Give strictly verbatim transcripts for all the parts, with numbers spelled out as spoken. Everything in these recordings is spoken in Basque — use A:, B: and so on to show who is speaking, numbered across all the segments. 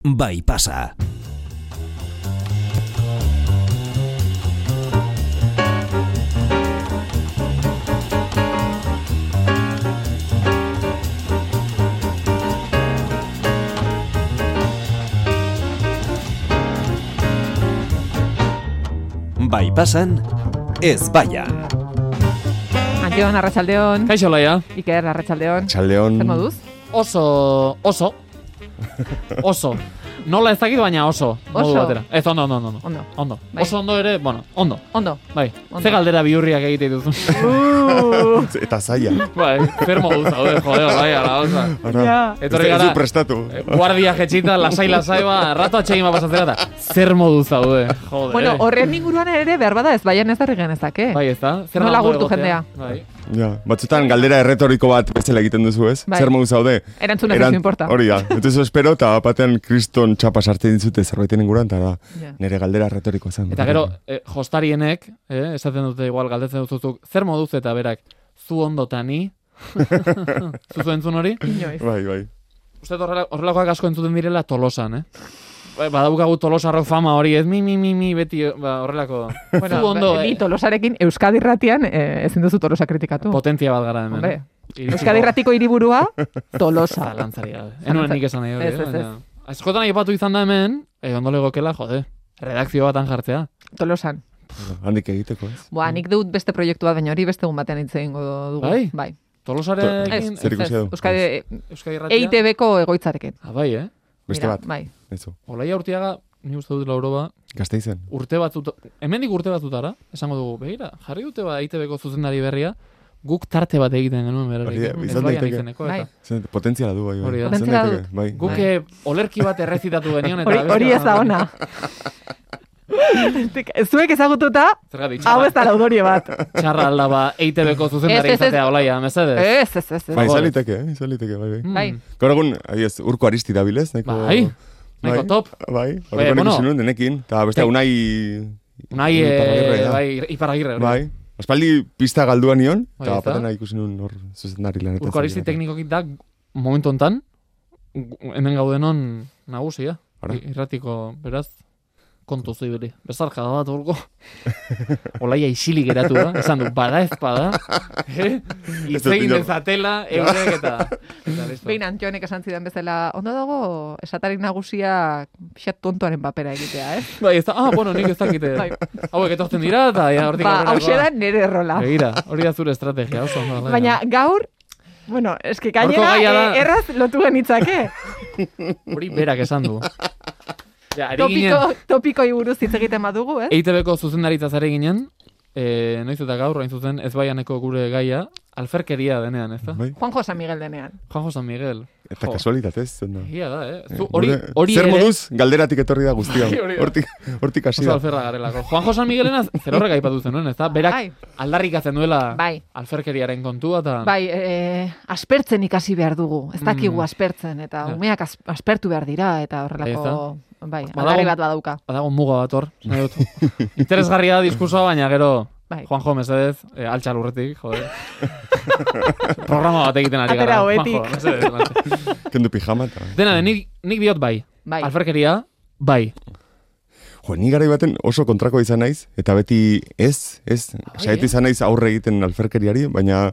A: Bai pasa. Bai pasan, ez baian.
B: Antion, arratsaldeon.
C: Kaixo laia.
B: Iker, arratsaldeon.
D: Arratsaldeon.
B: Zer moduz?
C: Oso, oso. Oso. Nola ez dakit, baina oso. Modu
B: Oso?
C: batera. Ez, ondo, ondo, ondo.
B: Ondo.
C: Ondo.
B: Bai.
C: Oso ondo ere, bueno, ondo.
B: Ondo.
C: Bai.
B: Ondo.
C: Ze galdera bihurriak egite dituzu.
B: Uh,
D: Eta zaila.
C: Bai, zer modu zaude, jode, bai, ala, oza.
D: Ara,
B: Ja.
C: Etorri
D: ez
C: gara,
D: du prestatu.
C: guardia jetxita, lasai-lasai, ba, rato atxegin bat pasatzera, eta zer modu zaude, jode.
B: bueno, horren inguruan ere behar bada ez baian ez darri genezake.
C: Bai, ez da? Zer
B: Nola
C: ondo
B: gurtu
C: egotea?
B: jendea?
C: Bai.
D: Ja, batzutan galdera erretoriko bat bezala egiten duzu, ez?
B: Bai.
D: Zer modu zaude?
B: Erantzuna ez importa.
D: Hori da. Entonces espero, eta batean kriston txapa sartzen dizute zerbaiten inguruan, eta da,
B: Ja.
D: nire galdera erretorikoa zen.
C: Eta gero, eh, jostarienek, eh, esaten dute igual galdetzen duzuzuk, zer moduz eta berak, zu ondo eta ni? Zuzu entzun hori?
B: Inoiz.
D: Bai, bai.
C: Uste horrela, horrelakoak asko entzuten direla Tolosan, eh? Ba, badaukagu Tolosarrok fama hori, ez mi, mi, mi, mi, beti ba, horrelako.
B: Bueno,
C: zu ondo,
B: ni
C: eh,
B: Tolosarekin Euskadi Irratian eh, ezin duzu Tolosa kritikatu.
C: potentzia bat gara hemen.
B: Hombre,
C: Iritsiko-
B: Euskadi Irratiko hiriburua Tolosa.
C: Zalantzari gabe. Enuen nik esan nahi hori,
B: Ez,
C: eh,
B: ez, ez.
C: baina- Askotan aipatu izan da hemen, eh, ondo legokela, jode, redakzio batan jartzea.
B: Tolosan.
D: Bueno, handik egiteko, ez?
B: Boa, nik dut beste proiektu bat, baina hori beste egun batean hitz egingo dugu.
C: Bai?
B: Bai.
C: Tolosarekin,
B: Ez,
D: Zer
B: ez,
D: ikusi
B: ez.
D: du?
B: Euskadi
C: Euskadi Irratia.
B: E I T B-ko egoitzarekin.
C: Ah, bai, eh?
D: Beste
B: Mira,
D: bat,
B: Bai.
D: ezo.
C: Olaia Urtiaga, ni uste dut lauroba,
D: Gasteizen.
C: urte batzut, hemendik urte batzutara, esango dugu, begira, jarri dute ba E I T B-ko zuzendari berria, guk tarte bat egiten genuen
D: Hori da,
C: berarekin.
D: izan
C: Ez baian
D: daiteke.
C: izeneko,
B: Bai.
C: eta.
D: Zer, potentziala du, bai, bai.
C: Hori da.
D: Izan
B: Potentziala
D: daiteke, Bai.
C: Guk
B: Bai.
C: eh, olerki bat errezitatu genion, eta
B: Hori,
C: abestia-
B: hori ez da ona. Zuek ezagututa,
C: Zergatik,
B: hau ez
C: txarra,
B: da laudorio bat.
C: txarra alda ba E I T B-ko zuzendari
B: Ez, ez, ez.
C: izatea, olaia, mesedez.
B: Ez, ez, ez. ez.
D: Bai,
C: Favor.
D: izan liteke, eh? Izan liteke, bai, bai.
C: Mm.
B: Bai.
D: Gaur egun, adiez, urko aristi dabilez, neko...
C: Bai, nahiko top.
D: Bai,
C: Bai,
D: horreko
C: bueno.
D: ikusi nuen denekin. Eta beste,
C: Tek-
D: unai...
C: Unai,
D: Iparragirre,
C: eh,
D: da.
C: bai, iparagirre. hori.
D: Bai. Aspaldi pista galduan nion,
C: Bai,
D: eta
C: eta?
D: patena ikusi nuen hor zuzendari lanetan.
C: Urko aristi teknikokit da, momentu hontan, gu- hemen gaudenon nagusia.
D: Ara.
C: I- Irratiko, beraz, kontu zibili. Bezarka da bat urko. Olaia isilik geratu da, esan du, bada ez bada. Eh?
D: Ez dut
C: Itzegin
D: inor-
C: dezatela, eurek eta... eta listo.
B: Behin Antionek esan zidan bezala, ondo dago, esatari nagusia pixat tontoaren papera egitea, eh?
C: Bai, ez da, ah, bueno, nik ez dakite.
B: Bai.
C: Hauek etortzen dira, eta ja, hortik
B: Ba,
C: aurrerakoa.
B: hauxe da nire errola.
C: Begira, hori da zure estrategia, oso ondo. Alaia.
B: Baina gaur, bueno, eske
C: Gaurko
B: gainera
C: gaia da-
B: eh, erraz lotu genitzake.
C: Hori berak esan du. Ja, ari ginen,
B: Topiko, topiko buruz hitz egiten badugu, eh?
C: E I T B-ko zuzendaritzaz ari ginen, e, noiz eta gaur, hain zuzen, ez baianeko gure gaia, alferkeria denean, ez da?
D: Bai.
B: Juanjo San Miguel denean.
C: Juanjo San Miguel.
D: Eta
C: Jo.
D: kasualitatez, zen da.
C: Egia da, eh?
D: Eh,
C: Zu, hori,
D: gure-
C: hori
D: Zer
C: ere,
D: moduz, galderatik etorri da guztia.
C: Bai, hori da.
D: Hortik, hortik hasi
C: oso
D: da.
C: alferra garelako. Juanjo San Miguelena zer horrek aipatu zenuen, ez da? Berak
B: Bai,
C: aldarrikatzen duela
B: bai.
C: alferkeriaren kontua, eta...
B: Bai, eh, aspertzen ikasi behar dugu. Ez dakigu
C: Mm.
B: aspertzen, eta
C: Ja.
B: umeak as, aspertu behar dira, eta horrelako... Bai,
C: Badago-
B: aldarri bat badauka.
C: Badago muga bat hor, nahi dut. Interesgarria da diskursoa, baina gero...
B: Bai.
C: Juanjo, mesedez, eh, altxa lurretik, joder. Programa bat egiten ari
B: Atera
C: gara.
B: hobetik.
C: Juanjo, mesedez, lantxe.
D: Kendu pijama eta...
C: Dena, de, nik, nik diot bai.
B: Bai.
C: Alferkeria, bai.
D: Jo, ni garai baten oso kontrakoa izan naiz, eta beti ez, ez,
C: Bai,
D: saiatu
C: eh?
D: izan naiz aurre egiten alferkeriari, baina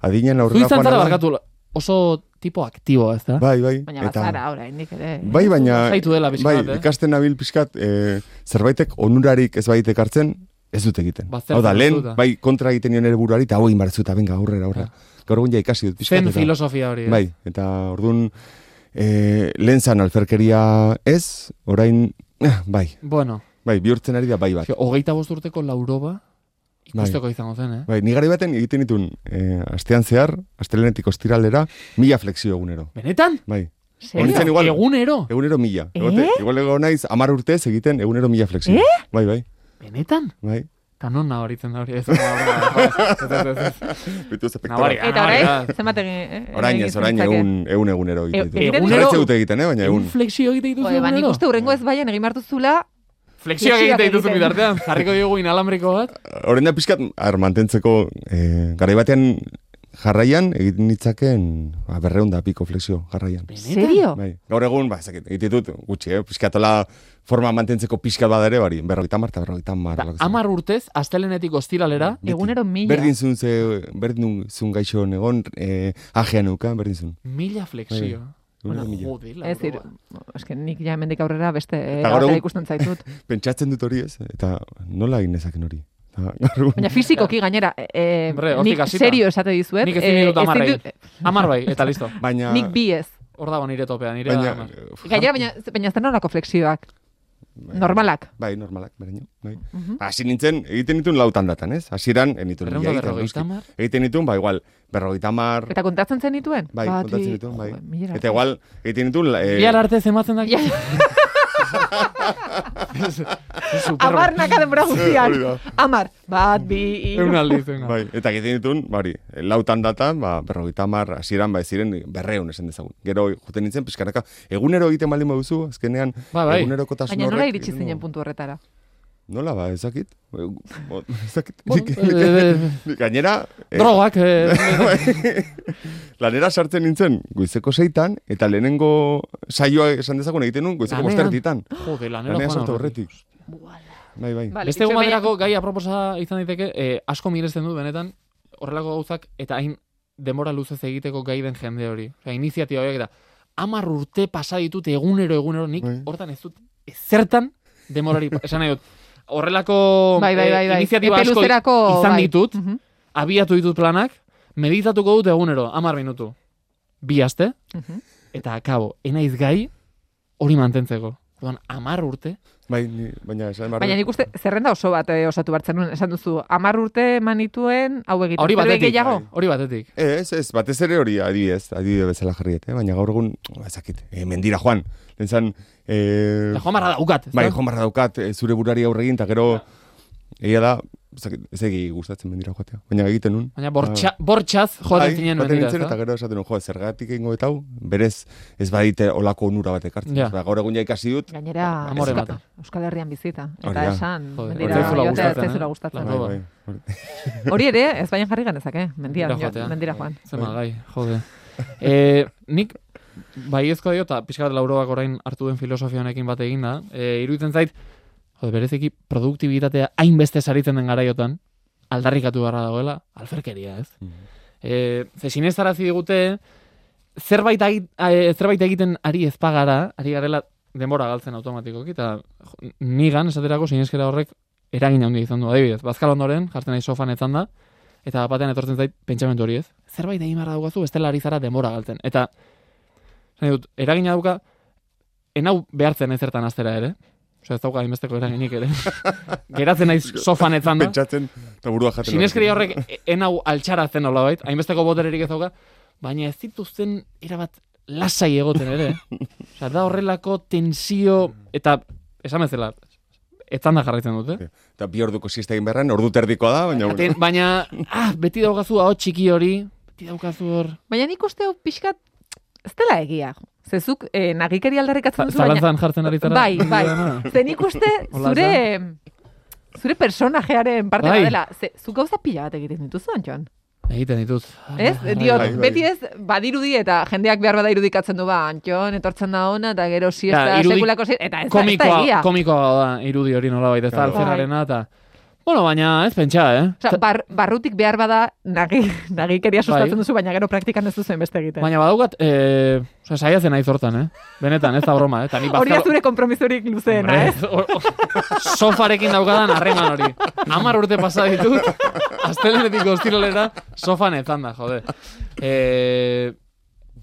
D: adinen
C: Zu
D: aurrera
C: izan zara
D: joan
C: barkatu, oso tipo aktibo, ez da?
D: Bai, bai.
B: Baina bat zara, oraindik ere.
D: Bai, baina...
C: Zaitu dela pixka
D: bai,
C: bat, eh?
D: ikasten nabil pixkat, e, zerbaitek onurarik ez baitek hartzen, ez dut egiten.
C: Baztertzen
D: Hau da, lehen,
C: duzu, da.
D: bai, kontra egiten nion ere buruari, eta hau egin barzu, eta venga, aurrera, aurrera. Gaur egun ja ikasi dut pixkat.
C: Zen
D: eta-
C: filosofia hori. eh?
D: Bai, eta orduan, e, lehen zan alferkeria ez, orain, eh, bai,
C: Bueno,
D: bai, bihurtzen ari da bai bat.
C: jo, hogeita bost urteko lauroba ikusteko izango zen, eh?
D: Bai, ni garai baten egiten ditun, e, astean zehar, astelenetik ostiralera, mila flexio egunero.
C: Benetan?
D: Bai,
B: Serio?
D: Horitzen igual-
C: Egunero?
D: egunero mila.
B: Eh?
D: Egote, igual ego naiz, amar urtez egiten egunero mila flexio.
B: Eh?
D: Bai, bai,
C: Benetan?
D: bai.
C: Eta non nabaritzen da hori ez. Ez, ez, ez, ez.
D: Bitu ze
C: Nabari,
D: pektora.
B: Eta
C: Nabari,
B: orain,
C: da.
B: zenbat egin... eh,
D: Orain
B: egin
D: ez, orain
B: zentzake?
D: egun, egun egunero
B: E-
D: egiten.
B: egunero?
D: Egunero dute egiten, eh, baina
C: Egun
D: egun.
C: flexio egite dituzu
B: Joder, ba, nik
C: egunero?
B: uste hurrengo ez baian egin martuzula,
C: Flexioak
B: Flexioak
C: egite dituzu
B: egiten.
C: bitartean. Jarriko diogu inalambriko bat.
D: Horren da pixkat, ar, mantentzeko, eh, garai batean jarraian egiten ditzaken ba, berreun da piko flexio jarraian.
B: Serio?
D: Bai. Gaur egun, ba, ezakit, egiten dut, gutxi, eh? Piskatola forma mantentzeko pixkat bada ere, bari, berrogeita mar eta berrogeita mar.
C: Amar urtez, astelenetik ostiralera,
B: egunero mila.
D: Berdin zun, ze, berdin zun gaixo negon, eh, ajean eukan, berdin zun.
C: mila flexio.
D: Bueno,
C: jode, la
B: Ez dir, eske nik ja hemendik aurrera beste
D: Eta gaur
B: eh,
D: egun-
B: ikusten zaitut.
D: Pentsatzen dut hori ez, eta nola egin nezaken hori. Eta gaur egun-
B: Baina fizikoki gainera, eh,
C: Hombre, hortik
B: nik
C: hasita.
B: serio esate dizuet.
C: Nik ezin
B: eh,
C: ditut
B: ezin
C: amarrei.
B: dut-
C: Amar bai, eta listo.
D: Baina...
B: Nik bi ez.
C: Hor dago nire topea, nire
D: Baina...
C: da amar.
B: Gainera, baina, baina zer nolako flexioak? Normalak.
D: Bai, normalak, beraino. Bai.
B: Mhm.
D: Hasi nintzen, egiten dituen lautan datan, ez? Hasieran, enituen
C: Berrehun
D: mila
C: eta
D: egiten,
C: berrogeita
D: noski.
C: hamar?
D: Egiten dituen, ba, igual, berrogeita mar...
B: Eta kontatzen zen dituen?
D: Bai,
B: Bati-
D: kontatzen dituen, bai.
B: Jo, mila
D: Eta igual, egiten dituen... Eh,
C: Bihar arte zematzen da.
B: Ja. Amar naka denbora
D: hori
B: guztian.
D: da.
B: Amar. Bat, bi,
C: Egun
B: hiru.
C: aldiz, venga.
D: Bai, eta egiten dituen, bari, lautan datan, ba, berrogeita mar, hasieran, ba, ez ziren berreun esan dezagun. Gero, juten nintzen, pizkanaka, egunero egiten baldin baduzu, azkenean,
C: Ba, bai.
D: egunerokotasun
B: Baina nola
D: horrek-
B: iritsi zinen puntu horretara?
D: Nola, ba, ezakit? Ezakit.
C: Bueno, eh,
D: Gainera... eh,
C: Drogak, eh,
D: lanera sartzen nintzen goizeko seitan, eta lehenengo saioa esan dezagun egiten nun goizeko
C: Lanean.
D: bosterditan.
C: jode, lanero
D: Lanera
C: joan
D: sartu
C: aurretik.
D: horretik. Bai, bai.
B: Vale,
C: Beste egun
B: itxoin baina-
C: baterako gai aproposa izan daiteke, eh, asko miresten dut benetan, horrelako gauzak, eta hain denbora luzez egiteko gai den jende hori. Osea, iniziatiba horiek eta hamar urte pasa ditut egunero, egunero, nik
D: Bai.
C: hortan ez dut ezertan demorari, esan nahi dut, horrelako
B: Bai, bai, bai,
C: eh,
B: bai.
C: iniziatiba
B: Epe
C: asko
B: luzerako,
C: izan
B: bai.
C: ditut,
B: Mhm,
C: abiatu ditut planak, meditatuko dut egunero, hamar minutu. Bi aste,
B: mhm.
C: eta akabo, enaiz gai hori mantentzeko. Orduan, hamar urte,
D: Bai, ni, baina esan barru.
B: Baina nik uste zerrenda oso bat eh, osatu bartzen nuen. Esan duzu, amar urte manituen hau egiten.
C: hori
B: Zerbait
C: batetik,
B: gehiago?
C: hori batetik.
D: Ez, ez, batez ere hori adibidez, adibide bezala jarriet, eh? Baina gaur egun, ba, ezakit, eh, mendira joan. Lentzan, eh,
C: Eta joan barra daukat.
D: bai,
C: ezta?
D: joan barra daukat, eh, zure burari aurre egin, eta gero, egia da, ezakit, ez egi gustatzen mendira joatea. Baina egiten nun.
C: Baina bortxa, bortxaz joaten
D: Bai,
C: zinen
D: joaten
C: mendira,
D: nintzen,
C: ezta?
D: eta gero esaten nun, jo, zergatik egingo eta hau, berez, ez badite olako onura bat ekartzen.
C: Ja.
D: Ba, gaur egun ja ikasi dut,
B: Gainera,
C: Amore
B: Euskal,
C: bata.
B: Euskal Herrian bizita.
D: Hori
B: Eta
D: da.
B: esan,
C: Joder,
B: mendira
C: ez zaizula
B: joatea ez
C: gustatzen,
B: zaizula
C: eh?
B: gustatzen.
C: Bai,
D: bai, bai.
B: Hori ere, ez baina jarri ganezake, mendia,
C: Mendira joatea.
B: mendira joan.
C: Zema gai, jode. e, nik, baiezko dio, eta pixkat lauroak orain hartu den filosofia honekin bat egin da, e, iruditzen zait, jode, bereziki produktibitatea hainbeste saritzen den garaiotan, aldarrikatu beharra dagoela, alferkeria, ez? E, ze sinestarazi digute, zerbait, agi- eh, zerbait egiten ari ezpagara, ari garela denbora galtzen automatikoki, eta jo, nigan, esaterako, sineskera horrek eragin handia izan du. Adibidez, bazkal ondoren, jartzen nahi sofan etzan da, eta batean etortzen zait pentsamentu hori ez. Zerbait egin beharra daukazu, bestela ari zara denbora galtzen. Eta, nahi dut, eragina dauka, enau behartzen ezertan astera ere. Osea, ez dauka hainbesteko eraginik ere. Geratzen naiz sofan etzan da.
D: Pentsatzen, eta burua jaten.
C: Sineskeri horrek e- enau altxaratzen nola bait, hainbesteko botererik ez dauka, baina ez dituzten erabat lasai egoten ere. Osea, da horrelako tensio, eta esan bezala, etzan da jarraitzen dute.
D: Eta bi orduko siesta egin beharren, ordu terdikoa da, baina...
C: Aten, baina, ah, beti daukazu hau txiki hori, beti daukazu hor...
B: Baina nik uste hau pixkat, ez dela egia. Zezuk eh, nagikeri aldarrikatzen duzu, baina...
C: Zalantzan jartzen ari zara.
B: Bai, bai. Ze nik uste
C: Hola,
B: zure, zure personajearen parte
C: Bai.
B: badela. Ze, zuk gauza pila bat egiten dituzu, Antxon.
C: Egiten ditut.
B: Ez?
C: Bai,
B: Diot,
D: bai, bai.
B: beti ez, badirudi eta jendeak behar bada irudikatzen du, ba, Antxon, etortzen da ona, eta gero siesta,
C: Ja, irudi-
B: sekulako siesta, eta ez da, ez da
C: Komikoa,
B: egia.
C: komikoa da irudi hori nola baita, ez da
D: Claro.
C: altzerarena, eta... Bueno, baina ez pentsa, eh?
B: Osea, bar, barrutik behar bada nagi, nagikeria sustatzen
C: Bai.
B: duzu, baina gero praktikan ez duzen beste egiten.
C: Baina badaukat, eh, osea, saiatzen naiz hortan, eh? Benetan, ez da broma, eh? Ta ni
B: Hori da
C: bazkalo-
B: zure kompromisorik luzeena,
C: Hombre,
B: ez?
C: o- o- sofarekin daukadan harreman hori. Hamar urte pasa ditut, astelenetik ostiralera sofan etzan da, jode. E,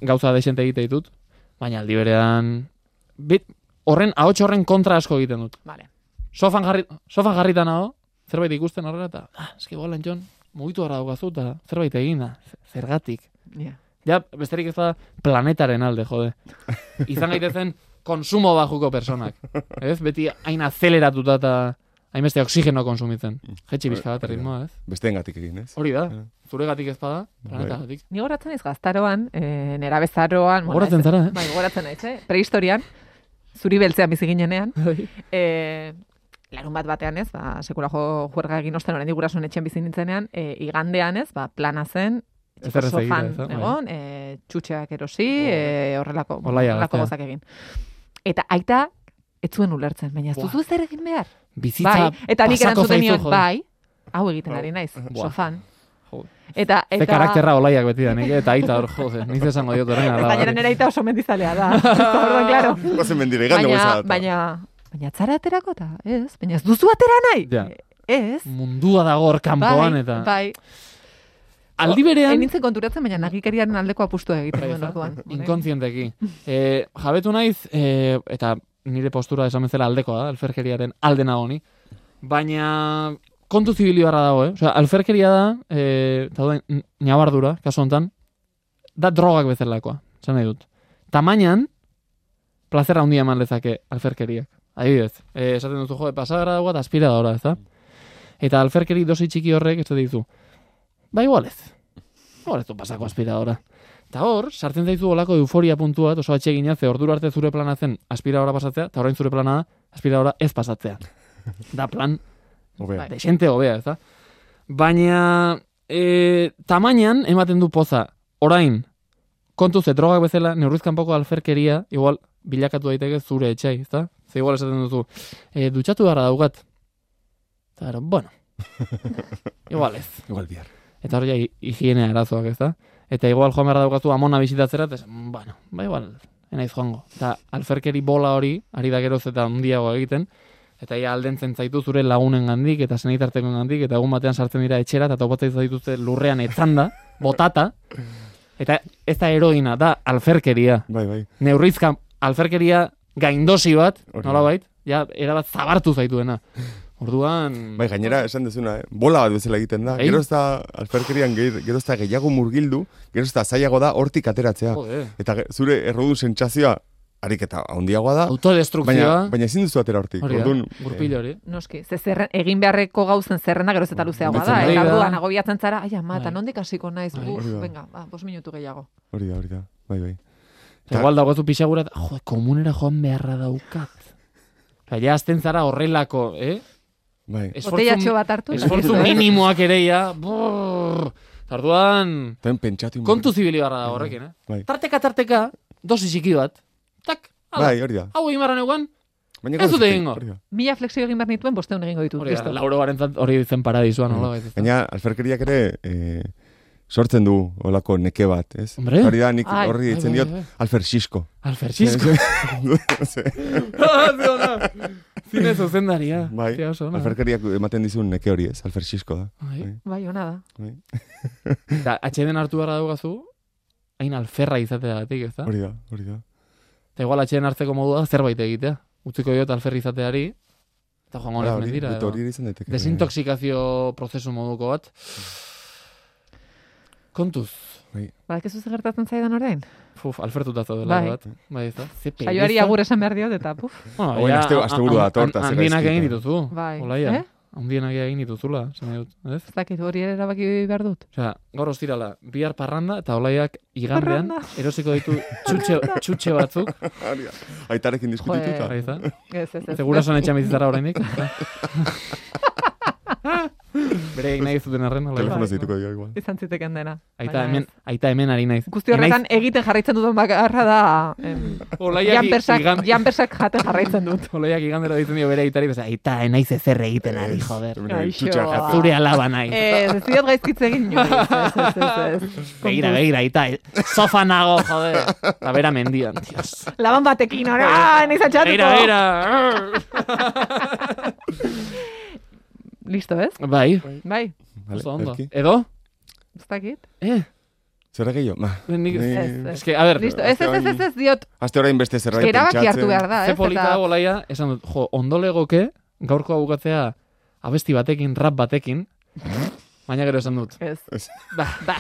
C: gauza desente egite ditut, baina aldi berean, bit, horren, ahots horren kontra asko egiten dut.
B: Vale.
C: Sofan, jarri, sofan jarrita nago, zerbait ikusten horrela, eta, ah, eski bolan, Jon, mugitu gara daukazu, eta zerbait egin da, zergatik.
B: Yeah.
C: Ja, besterik ez da planetaren alde, jode. Izan gaitezen konsumo bajuko personak. Ez? Beti hain azeleratuta eta hainbeste oxigeno konsumitzen. Jetxi bizka bat ritmoa, ez?
D: Besteengatik egin, ez?
C: Hori da. Zuregatik ez bada, planetagatik.
B: Ni goratzen naiz gaztaroan, e, nera bezaroan...
C: Gogoratzen zara, eh?
B: Bai, goratzen naiz, eh? Prehistorian, zuri beltzean bizi ginenean, e, larun bat batean ez, ba, sekula jo juerga egin osten oraindik gurasoen etxean bizi nintzenean, e, igandean ez, ba, plana zen,
C: Ezer ez egira,
B: sofan
C: ez da? Bai.
B: egon, e, txutxeak erosi, e, horrelako,
C: Olaia
B: horrelako
C: gaztea.
B: gozak egin. Eta aita, ez zuen ulertzen, baina ez
C: Buah.
B: duzu zer egin behar.
C: Bizitza
B: Bai, eta nik
C: pasako
B: erantzuten
C: zaizu,
B: nion,
C: jode.
B: bai, hau egiten ari naiz,
C: Buah.
B: sofan.
C: Jode.
B: Eta,
C: Ze
B: eta...
C: karakterra olaiak beti da, nik, eta aita hor, jode, niz esango diot horren ala.
B: Gainera nera aita oso mendizalea da. Orduan, claro.
D: Gozen mendire, gande
B: Baina,
D: goza.
B: baina, baina atzara aterako eta, ez? Baina ez duzu atera nahi?
C: Ja.
B: Ez?
C: Mundua dago hor kanpoan,
B: Bai,
C: eta...
B: bai.
C: Aldi berean...
B: Enintzen konturatzen, baina nagikeriaren aldeko apustua egiten
C: Bai,
B: duen
C: ez da?
B: orduan.
C: Inkontzienteki. E, jabetu naiz, e, eta nire postura esan bezala aldekoa da, alferkeriaren alde nago ni. Baina kontu zibili barra dago, eh? Osea, alferkeria da, e, eta da, nabardura, kasu honetan, da drogak bezalakoa, esan nahi dut. Tamainan, plazera handia eman lezake alferkeriak. Adibidez, e, esaten duzu, jode, pasadara dagoa eta aspiradora, ez da? Eta alferkeri dosi txiki horrek, ez da dizu, ba igualez, igualez du pasako aspiradora. Eta hor, sartzen zaizu olako euforia puntua, oso atsegina, ze ordura arte zure plana zen aspiradora pasatzea, eta orain zure plana da aspiradora ez pasatzea. Da plan,
D: Hobea.
C: desente hobea, ez da? Baina, e, tamainan ematen du poza, orain, kontu ze drogak bezala, neurrizkan poko alferkeria, igual, bilakatu daiteke zure etxai, ez da? Ze igual esaten duzu, e, dutxatu gara daukat. Eta, gero, bueno, igual ez.
D: Igual bihar.
C: Eta hori ja hi- higienea arazoak, ez da? Eta igual joan behar daukatu amona bisitatzera, eta esan, bueno, ba igual, enaiz joango. Eta alferkeri bola hori, ari da geroz eta handiago egiten, eta ia aldentzen zaitu zure lagunen gandik, eta senitarteko gandik, eta egun batean sartzen dira etxera, eta topatzen zaituzte lurrean etzanda, botata, eta ez da heroina, da alferkeria.
D: Bai, bai.
C: Neurrizka alferkeria gaindosi bat,
D: Hori.
C: nolabait, ja, erabat zabartu zaituena. Orduan...
D: Bai, gainera, esan dezuna, eh? Bola bat bezala egiten da.
C: Bai.
D: Gero ez da, alferkerian, gehi- gero ez da gehiago murgildu, gero ez da zailago da hortik ateratzea.
C: Jode,
D: Eta ge- zure errodu sentsazioa, ariketa handiagoa da,
C: autodestrukzioa,
D: baina, baina ezin duzu atera hortik.
C: hori da,
D: Orduan,
C: gurpil hori.
B: Noski, ze zerren, egin beharreko gauzen zerrenda geroz eta luzeagoa da.
C: Betzen
B: Eta
C: ari da.
B: orduan agobiatzen zara, ai ama, eta
C: Bai.
B: nondik hasiko naiz,
C: Bai.
B: uf,
D: Hori da.
B: venga, ba, bos minutu gehiago.
D: hori da, hori da. Bai, bai.
C: Eta igual dagoezu pixagurat, jo, komunera joan beharra daukat. Eta ja azten zara horrelako, eh?
D: Bai.
B: Botellatxo bat hartu.
C: esfortzu
B: nahi duzu, eh?
C: minimoak ere ja, brrr. Eta orduan,
D: Ten pentsatu.
C: kontu zibili barra da horrekin, eh?
D: Bai.
C: Tarteka, tarteka, dosi txiki bat. Tak, ala,
D: Bai, hori da.
C: hau egin barra neugan,
D: Baina
C: Ez
D: gauza
C: dut
D: txiki,
C: egingo.
D: hori da.
B: Mila flexio egin behar nituen, bosteun egingo ditut.
C: hori da,
B: listo.
C: lauro barentzat hori zen paradisua, nola baita.
D: Baina alferkeriak ere eh, sortzen du olako neke bat, ez?
C: Hombre.
D: Hori da, nik
B: Ai.
D: horri ditzen
C: Bai,
D: diot
C: bai, bai.
D: alferxisko.
C: Alferxisko. Zine zuzendaria.
D: Bai,
C: Tia oso ona.
D: alferkeriak ematen dizun neke hori, ez? Alferxisko da.
C: Bai.
B: Bai, ona da.
D: Bai.
C: Eta atxeden hartu behar daugazu, hain alferra izateagatik, ez da?
D: Hori da, hori da.
C: Eta igual atxeden hartzeko modua da zerbait egitea. Utziko diot alferri izateari, eta joango
D: Hala,
C: nez
D: hori,
C: mendira.
D: dut
C: edo.
D: hori izan daiteke.
C: Desintoxikazio prozesu moduko bat. Kontuz.
B: Badakizu zer gertatzen zaidan orain?
C: Fuf, alfertuta zaudela
B: Bai.
C: bat. Bai, ez da? Ze
B: Saioari
C: pereza.
B: agur esan behar diot, eta puf.
C: Bueno,
D: Orain
C: ja,
D: aste- asteburu
C: a- a-
D: dator, eta
C: an-
D: zer
C: handienak
D: gaizki,
C: egin
D: eta-
C: dituzu.
B: Bai.
C: Olaia.
B: Eh?
C: Handienak egin dituzula, esan nahi dut, ez?
B: Ez dakit hori ere erabaki behar dut.
C: Osea, gaur ostirala, bihar parranda, eta olaiak igandean
B: Parranda.
C: erosiko ditu txutxe, txutxe batzuk.
D: Hori da. Aitarekin diskutituta.
C: Bai, ez da?
B: Ez, ez, ez.
C: Segura son etxan bizitzara oraindik. Bere egin nahi zuten arren, olaia.
D: Telefono
B: Bai.
D: zituko dio igual.
B: Izan ziteken dena.
C: Aita
B: Baina
C: hemen,
B: ez.
C: aita hemen ari naiz.
B: Guzti horretan egiten jarraitzen dudan bakarra da em,
C: Olaiak
B: janpersak,
C: igan-
B: janpersak jaten jarraitzen dut.
C: Olaiak igandero ditzen dio bere aitari, beza, aita enaiz ezer egiten ari, joder.
D: Hemen
B: Gaixo.
D: txutxa
B: Ah.
D: jatu.
C: Zure alaba nahi.
B: Ez, ez diot gaizkitze egin inoiz. Ez, ez, ez, ez.
C: Begira, begira, aita, sofa nago, joder. Eta bera mendian, dios.
B: Laban batekin, ora, nahi zatxatuko.
C: Begira, begira.
B: Listo, ez?
C: Bai,
B: Bai,
D: Vale,
C: oso ondo.
D: Erki.
C: Edo?
B: ez dakit.
C: Eh,
D: Zer gehiago? Ma.
C: nik...
D: Ni-
B: Ez, ez.
C: Es que, a ver,
B: Listo, ez, ez, ez, ez, ez diot.
D: Aste orain beste zerbait
B: Erabaki
D: pentsatzen.
B: hartu behar da,
C: ze
B: ez?
C: polita
B: Eta-
C: da olaia, esan dut, jo, ondo legoke, gaurko bukatzea abesti batekin, rap batekin, baina gero esan dut.
B: Ez.
D: Ez.
B: Ba, ba.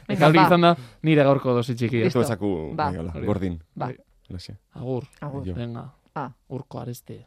C: Eta hori izan da, nire gaurko dosi txikia.
B: Listo.
D: Esto ezaku,
B: Ba.
D: bai, hola,
C: Hori.
D: gordin.
B: Ba.
D: Laxe.
C: Agur,
B: Agur.
D: Jo.
C: venga,
B: Ah.
C: urko areste.